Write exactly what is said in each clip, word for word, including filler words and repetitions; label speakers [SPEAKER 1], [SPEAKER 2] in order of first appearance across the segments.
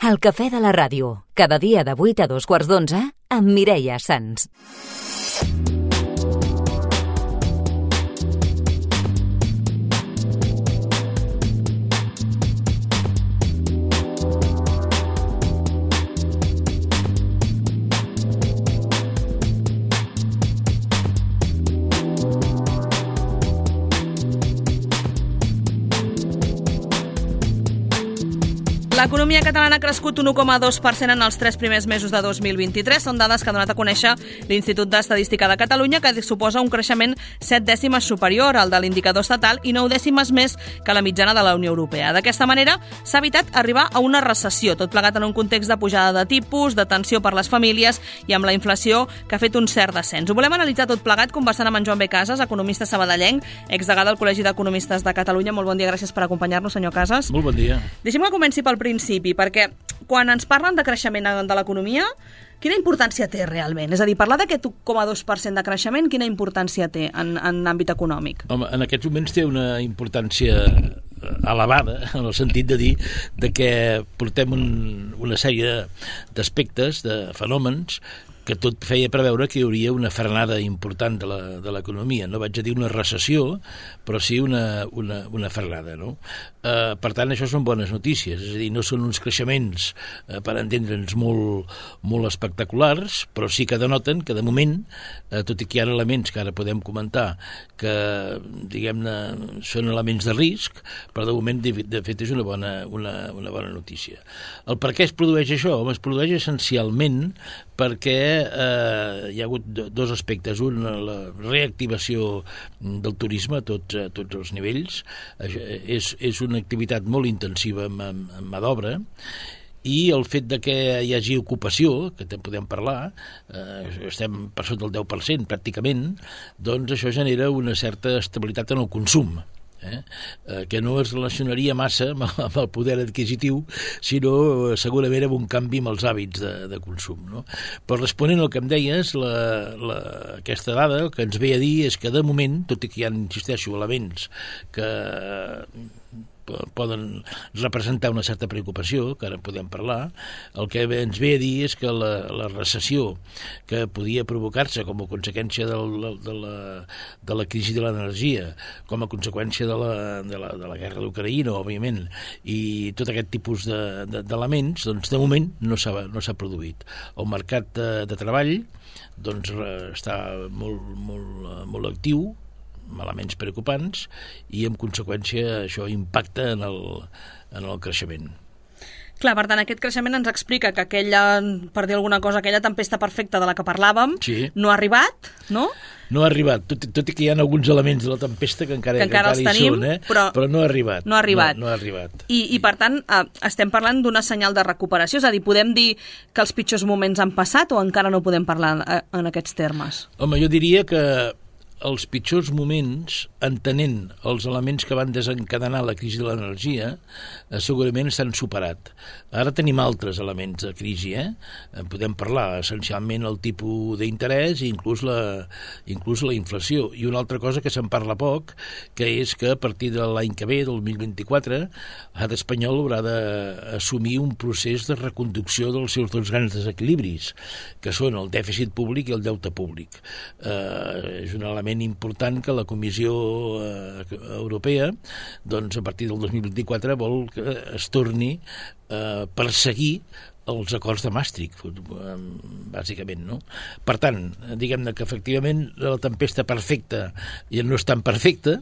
[SPEAKER 1] El cafè de la ràdio, cada dia de vuit a dos quarts d'onze, amb Mireia Sans.
[SPEAKER 2] L'economia catalana ha crescut un u coma dos per cent en els tres primers mesos de dos mil vint-i-tres. Són dades que ha donat a conèixer l'Institut d'Estadística de Catalunya, que suposa un creixement set dècimes superior al de l'indicador estatal i nou dècimes més que la mitjana de la Unió Europea. D'aquesta manera, s'ha evitat arribar a una recessió, tot plegat en un context de pujada de tipus, de tensió per les famílies i amb la inflació que ha fet un cert descens. Ho volem analitzar tot plegat conversant amb en Joan B. Casas, economista sabadellenc, exdegà del Col·legi d'Economistes de Catalunya. Molt bon dia, gràcies per acompanyar-nos, senyor Casas.
[SPEAKER 3] Molt bon dia.
[SPEAKER 2] Deixem que comenci pel principi, perquè quan ens parlen de creixement de l'economia, quina importància té realment? És a dir, parlar d'aquest u coma dos per cent de creixement, quina importància té en, en l'àmbit econòmic?
[SPEAKER 3] Home, en aquests moments té una importància elevada, en el sentit de dir de que portem un, una sèrie d'aspectes, de fenòmens, que tot feia preveure que hi hauria una frenada important de l'economia. No vaig a dir una recessió, però sí una, una, una frenada, no? Eh, per tant, això són bones notícies, és a dir, no són uns creixements, eh, per entendre'ns, molt, molt espectaculars, però sí que denoten que, de moment, eh, tot i que hi ha elements que ara podem comentar que, diguem-ne, són elements de risc, però de moment, de, de fet, és una bona, una, una bona notícia. El per què es produeix això? Home, es produeix essencialment perquè eh, hi ha hagut dos aspectes. Un, la reactivació del turisme a tots, a tots els nivells. És, és una activitat molt intensiva amb, amb, amb mà d'obra, i el fet de que hi hagi ocupació, que en podem parlar, eh, estem per sota del deu per cent pràcticament, doncs això genera una certa estabilitat en el consum. Eh? Eh, que no es relacionaria massa amb, amb el poder adquisitiu, sinó eh, segurament amb un canvi amb els hàbits de, de consum, no? Però responent al que em deies, la, la, aquesta dada el que ens ve a dir és que de moment, tot i que hi ha, insisteixo, elements que poden representar una certa preocupació, que ara podem parlar, el que ens ve a dir és que la, la recessió que podia provocar-se com a conseqüència del, de, la, de la crisi de l'energia, com a conseqüència de la, de la, de la guerra d'Ucraïna, òbviament, i tot aquest tipus d'elements, de, de, doncs de moment no s'ha no s'ha produït. El mercat de, de treball doncs està molt, molt, molt actiu, amb elements preocupants, i en conseqüència això impacta en el, en el creixement.
[SPEAKER 2] Clar, per tant, aquest creixement ens explica que aquella, per dir alguna cosa, aquella tempesta perfecta de la que parlàvem, sí, no ha arribat, no?
[SPEAKER 3] No ha arribat, tot, tot i que hi ha alguns elements de la tempesta que encara,
[SPEAKER 2] que encara,
[SPEAKER 3] que encara
[SPEAKER 2] els tenim,
[SPEAKER 3] hi són, eh?
[SPEAKER 2] però,
[SPEAKER 3] però no ha arribat.
[SPEAKER 2] No ha arribat.
[SPEAKER 3] No, no ha arribat.
[SPEAKER 2] I, I, per tant, eh, estem parlant d'una senyal de recuperació, és a dir, podem dir que els pitjors moments han passat o encara no podem parlar en, en aquests termes?
[SPEAKER 3] Home, jo diria que els pitjors moments, entenent els elements que van desencadenar la crisi de l'energia, eh, segurament s'han superat. Ara tenim altres elements de crisi, eh? En podem parlar, essencialment el tipus d'interès i inclús la, inclús la inflació. I una altra cosa que se'n parla poc, que és que a partir de l'any que ve, del dos mil vint-i-quatre, l'estat espanyol haurà d'assumir un procés de reconducció dels seus dos grans desequilibris, que són el dèficit públic i el deute públic. Eh, és un element important que la Comissió Europea, doncs a partir del dos mil vint-i-quatre, vol que es torni a perseguir els acords de Maastricht, bàsicament, no? Per tant, diguem-ne que efectivament la tempesta perfecta ja no és tan perfecta,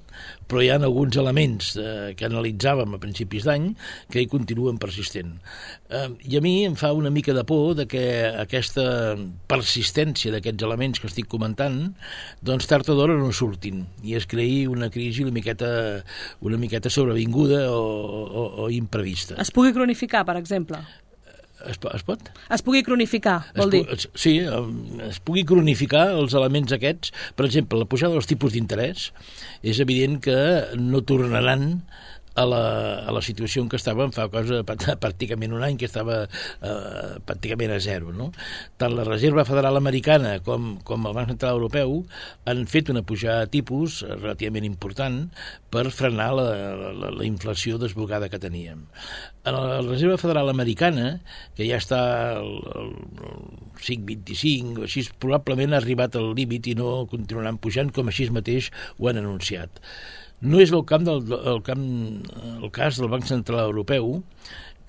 [SPEAKER 3] però hi ha alguns elements eh, que analitzàvem a principis d'any que hi continuen persistent. Eh, I a mi em fa una mica de por de que aquesta persistència d'aquests elements que estic comentant, doncs tard o d'hora no surtin i es creï una crisi una miqueta, una miqueta sobrevinguda o, o, o imprevista.
[SPEAKER 2] Es pugui cronificar, per exemple?
[SPEAKER 3] Es, es pot?
[SPEAKER 2] Es pugui cronificar, vol dir?
[SPEAKER 3] Es, sí, es pugui cronificar els elements aquests. Per exemple, la pujada dels tipus d'interès és evident que no tornaran a la, a la situació en què estàvem fa cosa pràcticament un any, que estava eh, pràcticament a zero, no? Tant la Reserva Federal Americana com, com el Banc Central Europeu han fet una pujada de tipus relativament important per frenar la, la, la inflació desbocada que teníem. A la Reserva Federal Americana, que ja està al, al cinc coma vint-i-cinc o així, probablement ha arribat al límit i no continuaran pujant, com així mateix ho han anunciat. No és el, camp del, el, camp, el cas del Banc Central Europeu,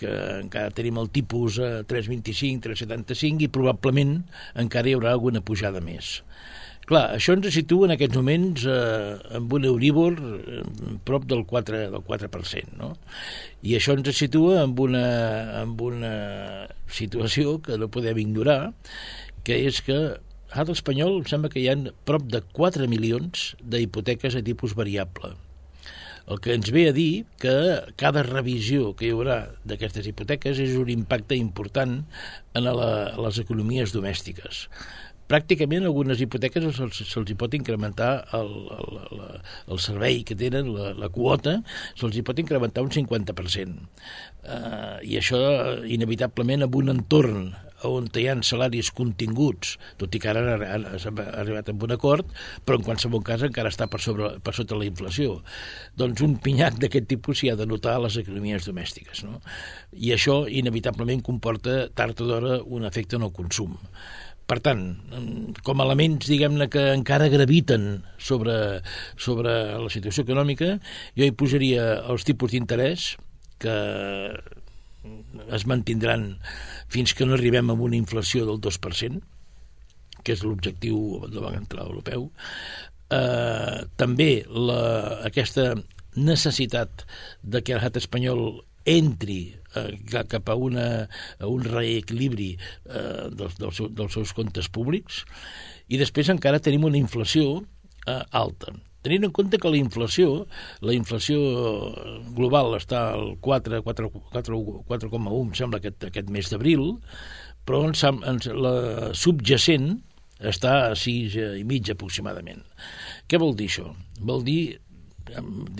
[SPEAKER 3] que encara tenim el tipus a tres coma vint-i-cinc, tres coma setanta-cinc, i probablement encara hi haurà alguna pujada més. Clar, això ens situa en aquests moments eh, amb un Euribor eh, prop del quatre, del quatre per cent, no? I això ens situa amb una, amb una situació que no podem ignorar, que és que a l'estat espanyol em sembla que hi ha prop de quatre milions d'hipoteques a tipus variable. El que ens ve a dir que cada revisió que hi haurà d'aquestes hipoteques és un impacte important en la, a les economies domèstiques. Pràcticament algunes hipoteques se'ls, se'ls hi pot incrementar el, el, el, el servei que tenen, la, la quota, se'ls hi pot incrementar un cinquanta per cent. Uh, I això, inevitablement, en un entorn on hi ha salaris continguts, tot i que ara han arribat a un acord, però en qualsevol cas encara està per, sobre, per sota la inflació. Doncs un pinyac d'aquest tipus s'hi ha de notar a les economies domèstiques, no? I això, inevitablement, comporta tard o d'hora un efecte en el consum. Per tant, com a elements, diguem-ne, que encara graviten sobre, sobre la situació econòmica, jo hi posaria els tipus d'interès, que es mantindran fins que no arribem a una inflació del dos per cent, que és l'objectiu del Banc Central Europeu. Eh, també la, aquesta necessitat de que l'estat espanyol entri eh, cap a, una, a un reequilibri eh, dels, dels, dels seus comptes públics, i després encara tenim una inflació eh, alta. Tenint en compte que la inflació, la inflació global està al quatre coma u, em sembla, aquest, aquest mes d'abril, però ens, ens, la subjacent està a sis i mig aproximadament. Què vol dir això? Vol dir,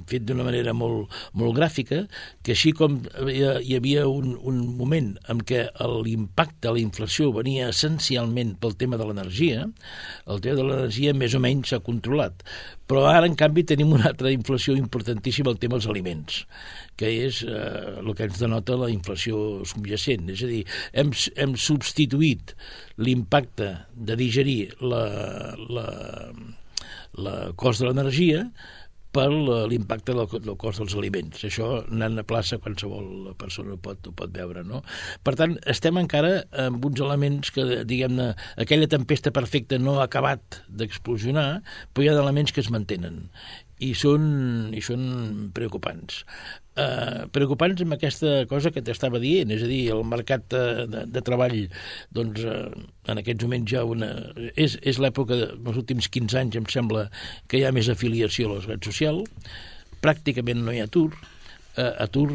[SPEAKER 3] fet d'una manera molt, molt gràfica, que així com hi havia un, un moment en què l'impacte de la inflació venia essencialment pel tema de l'energia, el tema de l'energia més o menys s'ha controlat. Però ara, en canvi, tenim una altra inflació importantíssima, el tema dels aliments, que és eh, el que ens denota la inflació subjacent. És a dir, hem, hem substituït l'impacte de digerir la, la, la cost de l'energia per l'impacte del, del cost dels aliments. Això, anant a plaça, qualsevol persona ho pot, ho pot veure, no? Per tant, estem encara amb uns elements que, diguem-ne, aquella tempesta perfecta no ha acabat d'explosionar, però hi ha elements que es mantenen i són, i són preocupants. Uh, preocupants amb aquesta cosa que t'estava dient, és a dir, el mercat de, de, de treball, doncs, uh, en aquests moments ja una... És, és l'època dels últims quinze anys, em sembla, que hi ha més afiliació a la seguretat social, pràcticament no hi ha atur, uh, atur,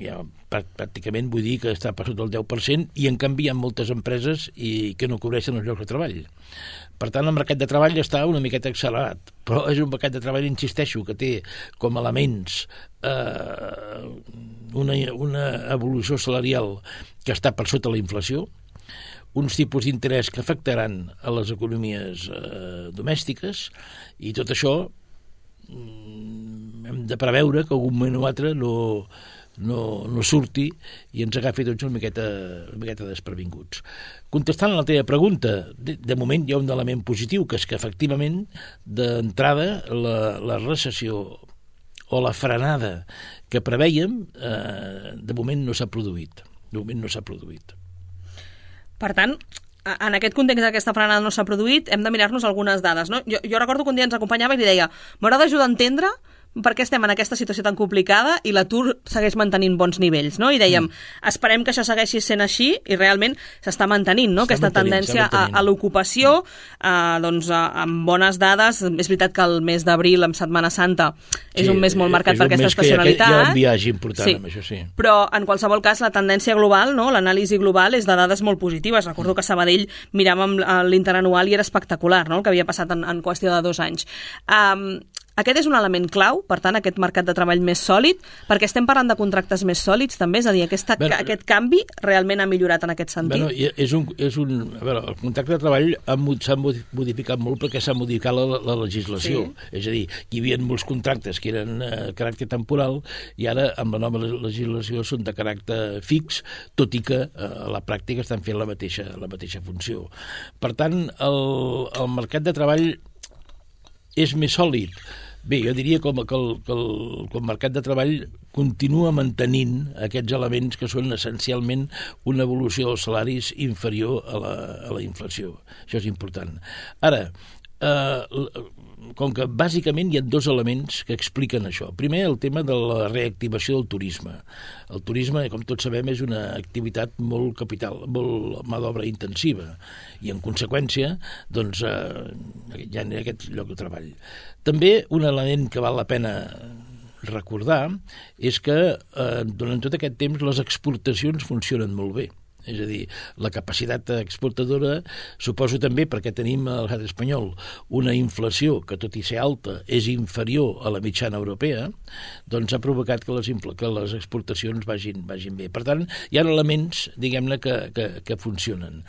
[SPEAKER 3] ja, pràcticament vull dir que està per sota del deu per cent, i en canvi hi ha moltes empreses i que no cobreixen els llocs de treball. Per tant, el mercat de treball està una miqueta accelerat, però és un mercat de treball, insisteixo, que té com a elements eh, una, una evolució salarial que està per sota la inflació, uns tipus d'interès que afectaran a les economies eh, domèstiques, i tot això mm, hem de preveure que algun moment o altre no... No, no surti i ens agafi tots una miqueta, una miqueta desprevinguts. Contestant a la teva pregunta, de, de moment hi ha un element positiu, que és que efectivament d'entrada la, la recessió o la frenada que preveiem eh, de moment no s'ha produït. De moment no s'ha produït.
[SPEAKER 2] Per tant, en aquest context d'aquesta frenada no s'ha produït, hem de mirar-nos algunes dades, no? Jo, jo recordo que un dia ens acompanyava i li deia, m'haurà d'ajudar a entendre per què estem en aquesta situació tan complicada i l'atur segueix mantenint bons nivells, no? I dèiem, mm. esperem que això segueixi sent així, i realment s'està mantenint, no? Aquesta tendència a, a l'ocupació, mm. a, doncs, a, amb bones dades. És veritat que el mes d'abril, en Setmana Santa, és sí, un mes molt marcat per aquesta estacionalitat.
[SPEAKER 3] Hi ha un viatge important
[SPEAKER 2] sí.
[SPEAKER 3] amb això, sí.
[SPEAKER 2] Però, en qualsevol cas, la tendència global, no? L'anàlisi global és de dades molt positives. Recordo que a Sabadell miràvem l'interanual i era espectacular, no? El que havia passat en, en qüestió de dos anys. Um, aquest és un element clau, per tant, aquest mercat de treball més sòlid, perquè estem parlant de contractes més sòlids, també, és a dir, aquesta, bueno, aquest canvi realment ha millorat en aquest sentit.
[SPEAKER 3] Bueno, és un, és un, a veure, el contracte de treball s'ha modificat molt perquè s'ha modificat la, la legislació. Sí. És a dir, hi havia molts contractes que eren de caràcter temporal i ara, amb la nova legislació, són de caràcter fix, tot i que a la pràctica estan fent la mateixa, la mateixa funció. Per tant, el, el mercat de treball és més sòlid. Bé, jo diria com, que, el, que, el, que el mercat de treball continua mantenint aquests elements que són essencialment una evolució dels salaris inferior a la, a la inflació. Això és important. Ara, eh, com que bàsicament hi ha dos elements que expliquen això. Primer, el tema de la reactivació del turisme. El turisme, com tots sabem, és una activitat molt capital, molt mà d'obra intensiva, i en conseqüència doncs, eh, hi ha aquest lloc de treball. També un element que val la pena recordar és que eh, durant tot aquest temps les exportacions funcionen molt bé. És a dir, la capacitat exportadora, suposo també perquè tenim al l'estat espanyol una inflació que, tot i ser alta, és inferior a la mitjana europea, doncs ha provocat que les, que les exportacions vagin, vagin bé. Per tant, hi ha elements, diguem-ne, que, que, que funcionen.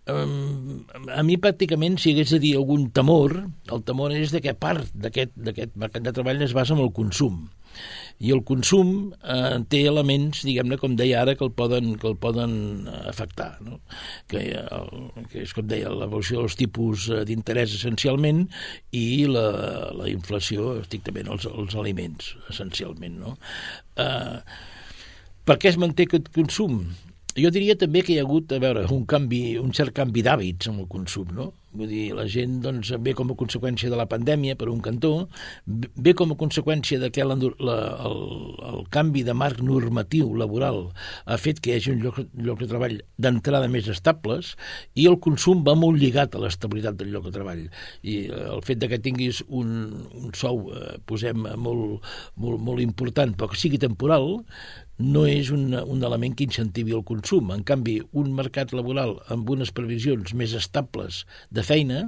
[SPEAKER 3] Um, a mi pràcticament, si hagués de dir algun temor, el temor és de que part d'aquest mercat de treball es basa en el consum. I el consum eh, té elements, diguem-ne, com deia ara, que el poden, que el poden afectar, no? que, el, que és, com deia, l'evolució dels tipus d'interès essencialment i la, la inflació, estrictament, els, els aliments, essencialment. No? Eh, per què es manté aquest consum? Jo diria també que hi ha hagut, a veure, un canvi, un cert canvi d'hàbits en el consum, no? Vull dir, la gent doncs, ve com a conseqüència de la pandèmia, per un cantó, ve com a conseqüència de que la, la, el, el canvi de marc normatiu laboral ha fet que hi hagi un lloc, lloc de treball d'entrada més estables, i el consum va molt lligat a l'estabilitat del lloc de treball. I el fet de que tinguis un, un sou, eh, posem, molt, molt, molt important, però que sigui temporal, no és un, un element que incentivi el consum. En canvi, un mercat laboral amb unes previsions més estables de feina,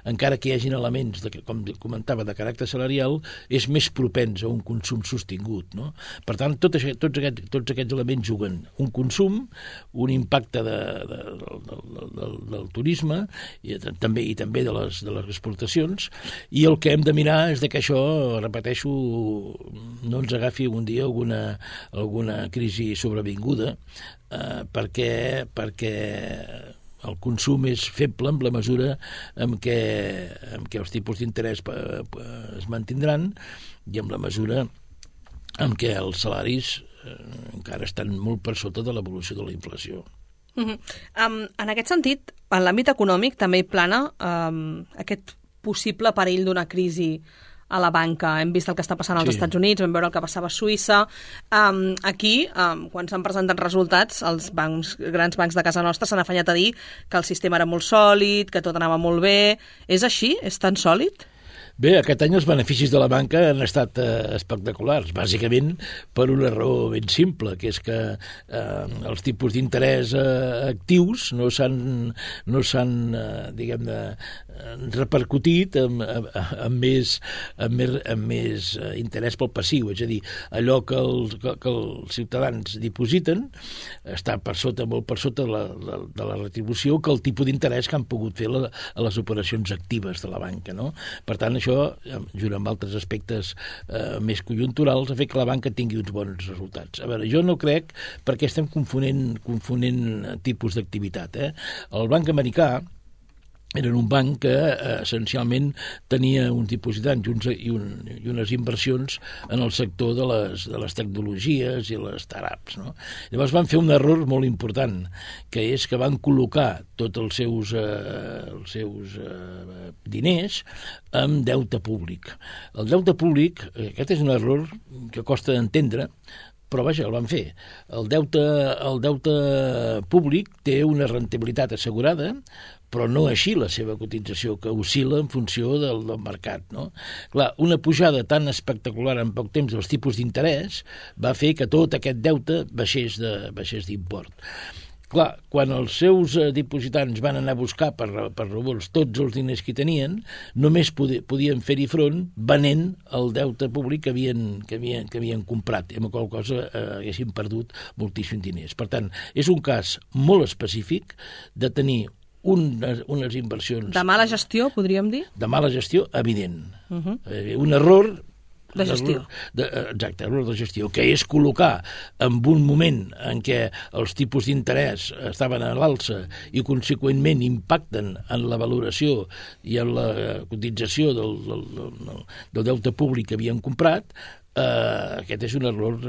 [SPEAKER 3] encara que hi hagin elements, de, com comentava, de caràcter salarial, és més propens a un consum sostingut. No? Per tant, tot això, tots, aquests, tots aquests elements juguen. Un consum, un impacte de, de, de, de, de, del turisme i també, i també de, les, de les exportacions, i el que hem de mirar és de que això, repeteixo, no ens agafi un dia alguna, alguna crisi sobrevinguda, eh, perquè, perquè el consum és feble en la mesura en què, en què els tipus d'interès es mantindran i en la mesura en què els salaris eh, encara estan molt per sota de l'evolució de la inflació.
[SPEAKER 2] Uh-huh. Um, en aquest sentit, en l'àmbit econòmic també hi plana um, aquest possible perill d'una crisi a la banca. Hem vist el que està passant als sí. Estats Units, vam veure el que passava a Suïssa. Um, aquí, um, quan s'han presentat resultats, els bancs, grans bancs de casa nostra s'han afanyat a dir que el sistema era molt sòlid, que tot anava molt bé. És així? És tan sòlid?
[SPEAKER 3] Bé, aquest any els beneficis de la banca han estat eh, espectaculars, bàsicament per una raó ben simple, que és que eh, els tipus d'interès eh, actius no s'han, no s'han eh, diguem-ne, repercutit amb, amb, amb, més, amb, més, amb més interès pel passiu, és a dir, allò que, el, que, que els ciutadans dipositen està per sota, molt per sota de la, de, de la retribució que el tipus d'interès que han pogut fer la, a les operacions actives de la banca, no? Per tant, això, junt amb altres aspectes eh, més conjunturals, ha fet que la banca tingui uns bons resultats. A veure, jo no crec, perquè estem confonent, confonent tipus d'activitat. Eh? El banc americà era un banc que eh, essencialment tenia uns dipositants i, uns, i, un, i unes inversions en el sector de les, de les tecnologies i les startups. No? Llavors van fer un error molt important, que és que van col·locar tots els seus, eh, els seus eh, diners en deute públic. El deute públic, aquest és un error que costa d'entendre, però vaja, el van fer. El deute, el deute públic té una rentabilitat assegurada, però no així la seva cotització, que oscil·la en funció del, del mercat. No? Clar, una pujada tan espectacular en poc temps dels tipus d'interès va fer que tot aquest deute baixés de, baixés d'import. Clar, quan els seus eh, dipositants van anar a buscar per, per revolts tots els diners que tenien, només podi, podien fer-hi front venent el deute públic que havien, que havien, que havien comprat, i amb la qual cosa eh, haguessin perdut moltíssims diners. Per tant, és un cas molt específic de tenir unes, unes inversions...
[SPEAKER 2] De mala gestió, podríem dir?
[SPEAKER 3] De mala gestió, evident.
[SPEAKER 2] Uh -huh.
[SPEAKER 3] eh, un error...
[SPEAKER 2] De gestió.
[SPEAKER 3] De, exacte, error de gestió, que és col·locar en un moment en què els tipus d'interès estaven a l'alça i conseqüentment impacten en la valoració i en la cotització del, del, del, del deute públic que havien comprat, Uh, aquest és un error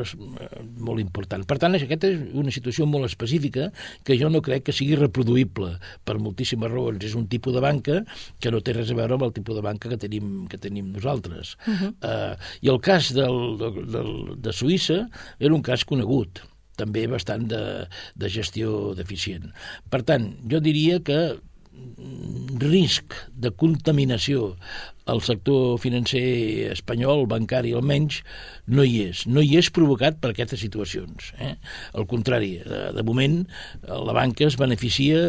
[SPEAKER 3] molt important. Per tant, aquesta és una situació molt específica que jo no crec que sigui reproduïble per moltíssimes raons. És un tipus de banca que no té res a veure amb el tipus de banca que tenim, que tenim nosaltres. Uh-huh. uh, I el cas del, del, de Suïssa era un cas conegut, també bastant de, de gestió deficient. Per tant, jo diria que risc de contaminació al sector financer espanyol, bancari almenys, no hi és. No hi és provocat per aquestes situacions. Eh? Al contrari, de, de moment la banca es beneficia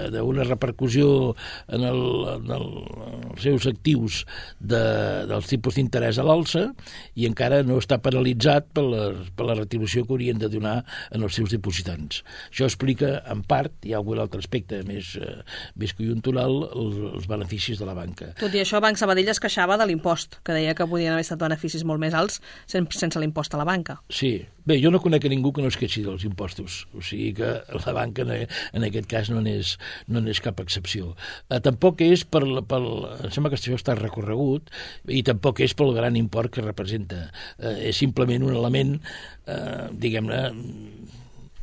[SPEAKER 3] d'una repercussió en, el, en, el, en els seus actius de, dels tipus d'interès a l'alça i encara no està penalitzat per la, per la retribució que haurien de donar en els seus dipositants. Això explica, en part, hi ha algun altre aspecte més, eh, més conjuntural, els, els beneficis de la banca.
[SPEAKER 2] Tot i això, Banc Sabadell es queixava de l'impost, que deia que podien haver estat beneficis molt més alts sense l'impost a la banca.
[SPEAKER 3] Sí. Bé, jo no conec a ningú que no es queixi dels impostos, o sigui que la banca en aquest cas no n'és no n'és cap excepció. Eh, tampoc és per, per... Em sembla que això està recorregut i tampoc és pel gran import que representa. Eh, és simplement un element, eh, diguem-ne,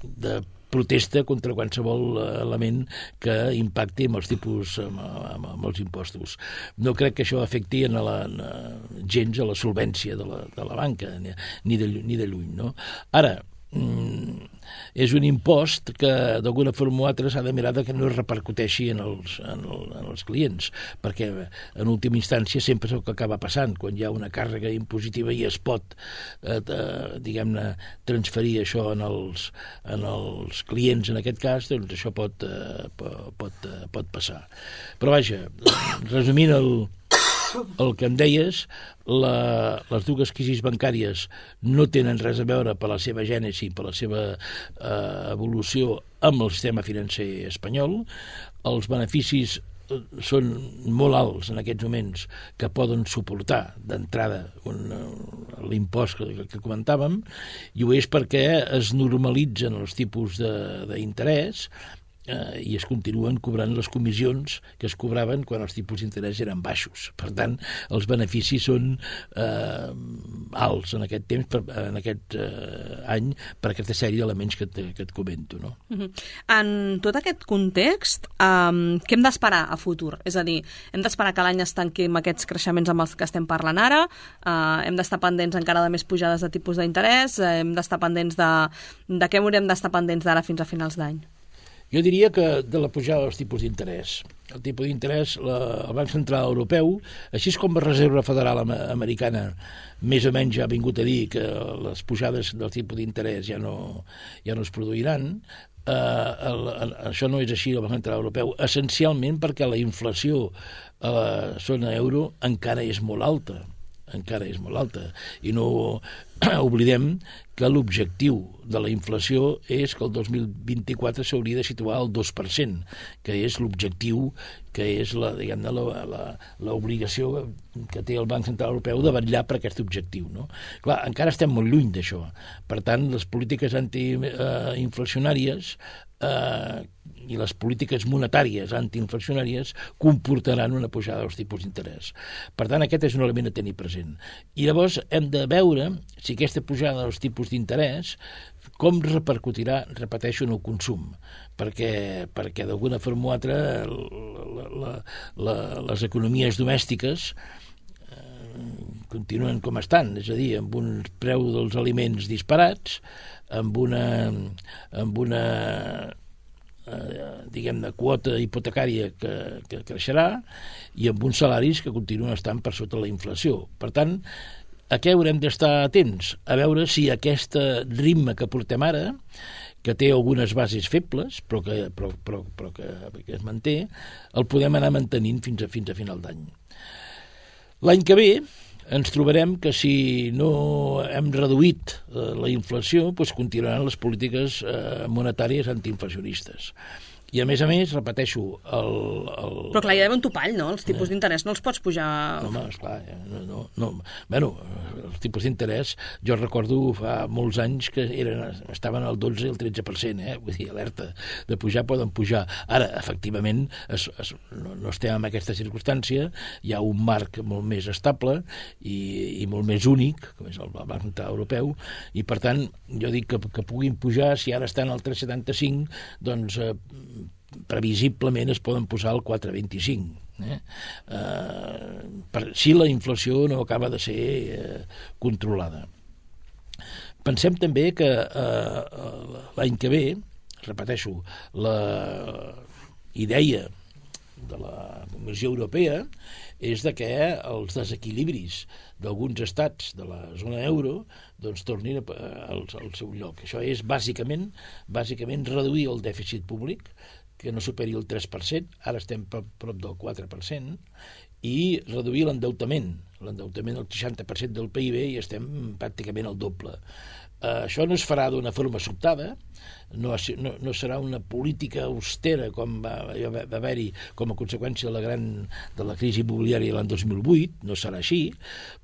[SPEAKER 3] de protesta contra qualsevol element que impacti amb els tipus, amb, amb, amb els impostos. No crec que això afecti en la, en, gens a la solvència de la, de la banca, ni de, ni de lluny. No? Ara, mm, és un impost que d'alguna forma o altra s'ha de mirar que no es repercuteixi en els, en, el, en els clients, perquè en última instància sempre és el que acaba passant, quan hi ha una càrrega impositiva i es pot eh, diguem-ne transferir això en els, en els clients en aquest cas, doncs això pot, eh, pot, eh, pot passar. Però vaja, resumint el el que em deies, la, les dues crisis bancàries no tenen res a veure per la seva gènesi, per la seva eh, evolució amb el sistema financer espanyol. Els beneficis són molt alts en aquests moments que poden suportar d'entrada l'impost que, que comentàvem, i ho és perquè es normalitzen els tipus d'interès Eh, i es continuen cobrant les comissions que es cobraven quan els tipus d'interès eren baixos. Per tant, els beneficis són eh, alts en aquest temps, per, en aquest eh, any, per aquesta sèrie d'elements que, que et comento. No?
[SPEAKER 2] Uh-huh. En tot aquest context, um, què hem d'esperar a futur? És a dir, hem d'esperar que l'any es tanqui amb aquests creixements amb els que estem parlant ara, uh, hem d'estar pendents encara de més pujades de tipus d'interès, uh, hem d'estar pendents de, de què haurem d'estar pendents d'ara fins a finals d'any?
[SPEAKER 3] Jo diria que de la pujada dels tipus d'interès. El tipus d'interès, el Banc Central Europeu, així com la Reserva Federal Americana, més o menys ja ha vingut a dir que les pujades del tipus d'interès ja no, ja no es produiran. Eh, el, el, això no és així al Banc Central Europeu, essencialment perquè la inflació a la zona euro encara és molt alta. encara és molt alta, i no oblidem que l'objectiu de la inflació és que el dos mil vint-i-quatre s'hauria de situar al dos per cent, que és l'objectiu, que és la, diguem-ne, l'obligació que té el Banc Central Europeu de vetllar per aquest objectiu. No? Clar, encara estem molt lluny d'això. Per tant, les polítiques antiinflacionàries eh, i les polítiques monetàries antiinflacionàries comportaran una pujada dels tipus d'interès. Per tant, aquest és un element a tenir present. I llavors hem de veure si aquesta pujada dels tipus d'interès com repercutirà, repeteixo, en el consum, perquè, perquè d'alguna forma o altra la, la, la, les economies domèstiques eh, continuen com estan, és a dir, amb un preu dels aliments disparats, amb una, amb una eh, diguem-ne, quota hipotecària que, que creixerà i amb uns salaris que continuen estant per sota la inflació. Per tant, a què haurem d'estar atents? A veure si aquest ritme que portem ara, que té algunes bases febles, però que, però, però, però que, que es manté, el podem anar mantenint fins a, fins a final d'any. L'any que ve ens trobarem que si no hem reduït eh, la inflació, doncs continuaran les polítiques eh, monetàries antiinflacionistes. I, a més a més, repeteixo, el... el...
[SPEAKER 2] Però clar, hi ha d'haver un topall, no? Els tipus eh. d'interès no els pots pujar...
[SPEAKER 3] No, home, esclar, no, no, no. Bueno, els tipus d'interès, jo recordo fa molts anys que eren, estaven al dotze i el tretze per cent, eh? Vull dir, alerta, de pujar poden pujar. Ara, efectivament, es, es, no, no estem en aquesta circumstància, hi ha un marc molt més estable i, i molt més únic, com és el Banc Central Europeu, i per tant, jo dic que, que puguin pujar, si ara estan al tres coma setanta-cinc, doncs... Eh, previsiblement es poden posar al quatre coma vint-i-cinc. Eh? Eh, per, si la inflació no acaba de ser eh, controlada. Pensem també que eh, l'any que ve, repeteixo, la idea de la Comissió Europea és de que els desequilibris d'alguns estats de la zona euro doncs tornin al, al seu lloc. Això és bàsicament, bàsicament reduir el dèficit públic, que no superi el tres per cent, ara estem prop, prop del quatre per cent, i reduir l'endeutament. L'endeutament del seixanta per cent del P I B i estem pràcticament al doble. Uh, això no es farà d'una forma sobtada, no, no, no serà una política austera com va, va haver-hi com a conseqüència de la, gran, de la crisi immobiliària l'any dos mil vuit, no serà així,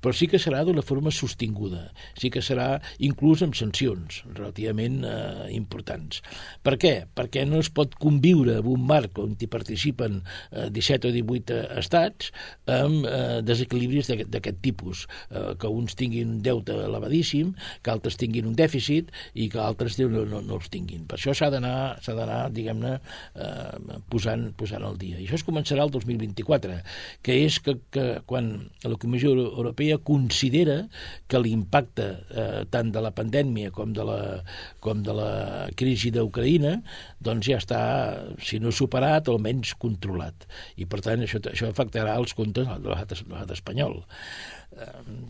[SPEAKER 3] però sí que serà d'una forma sostinguda, sí que serà inclús amb sancions relativament eh, importants. Per què? Perquè no es pot conviure en un marc on hi participen eh, disset o divuit estats amb eh, desequilibris d'aquest tipus, eh, que uns tinguin un deute elevadíssim, que altres tinguin un dèficit i que altres no, no, no els tinguin. Per això s'ha d'anar, s'ha d'anar, diguem-ne, eh, posant, posant al dia. I això es començarà el dos mil vint-i-quatre, que és que, que quan la Comissió Europea considera que l'impacte eh, tant de la pandèmia com de la, com de la crisi d'Ucraïna doncs ja està, si no superat, almenys controlat. I per tant això, això afectarà els comptes de l'estat espanyol.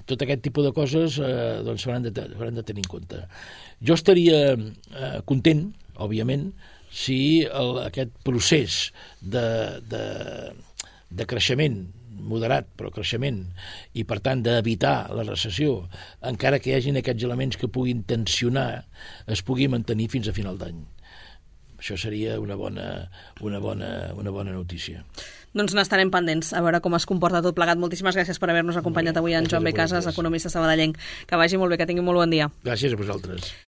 [SPEAKER 3] Tot aquest tipus de coses eh, doncs s'hauran de, de tenir en compte. Jo estaria eh, content, òbviament, si el, aquest procés de, de, de creixement moderat, però creixement, i per tant d'evitar la recessió, encara que hi hagin aquests elements que puguin tensionar, es pugui mantenir fins a final d'any. Això seria una bona, una bona, una bona notícia.
[SPEAKER 2] Doncs n'estarem pendents, a veure com es comporta tot plegat. Moltíssimes gràcies per haver-nos acompanyat avui en Joan B. Casas, economista sabadellenc. Que vagi molt bé, que tingui molt bon dia.
[SPEAKER 3] Gràcies a vosaltres.